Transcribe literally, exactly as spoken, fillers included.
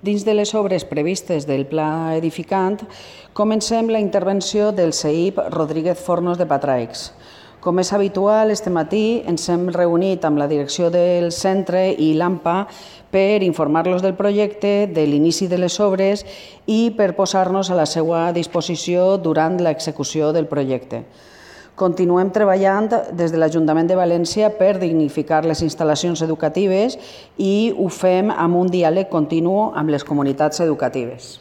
Dins de les obres previstes del Pla Edificant, comencem la intervenció del C E I P Rodríguez Fornos de Patraix. Com és habitual, este matí ens hem reunit amb la direcció del centre i l'AMPA per informar-los del projecte, de l'inici de les obres i per posar-nos a la seva disposició durant l'execució del projecte. Continuem treballant des de l'Ajuntament de València per dignificar les instal·lacions educatives i ho fem amb un diàleg continu amb les comunitats educatives.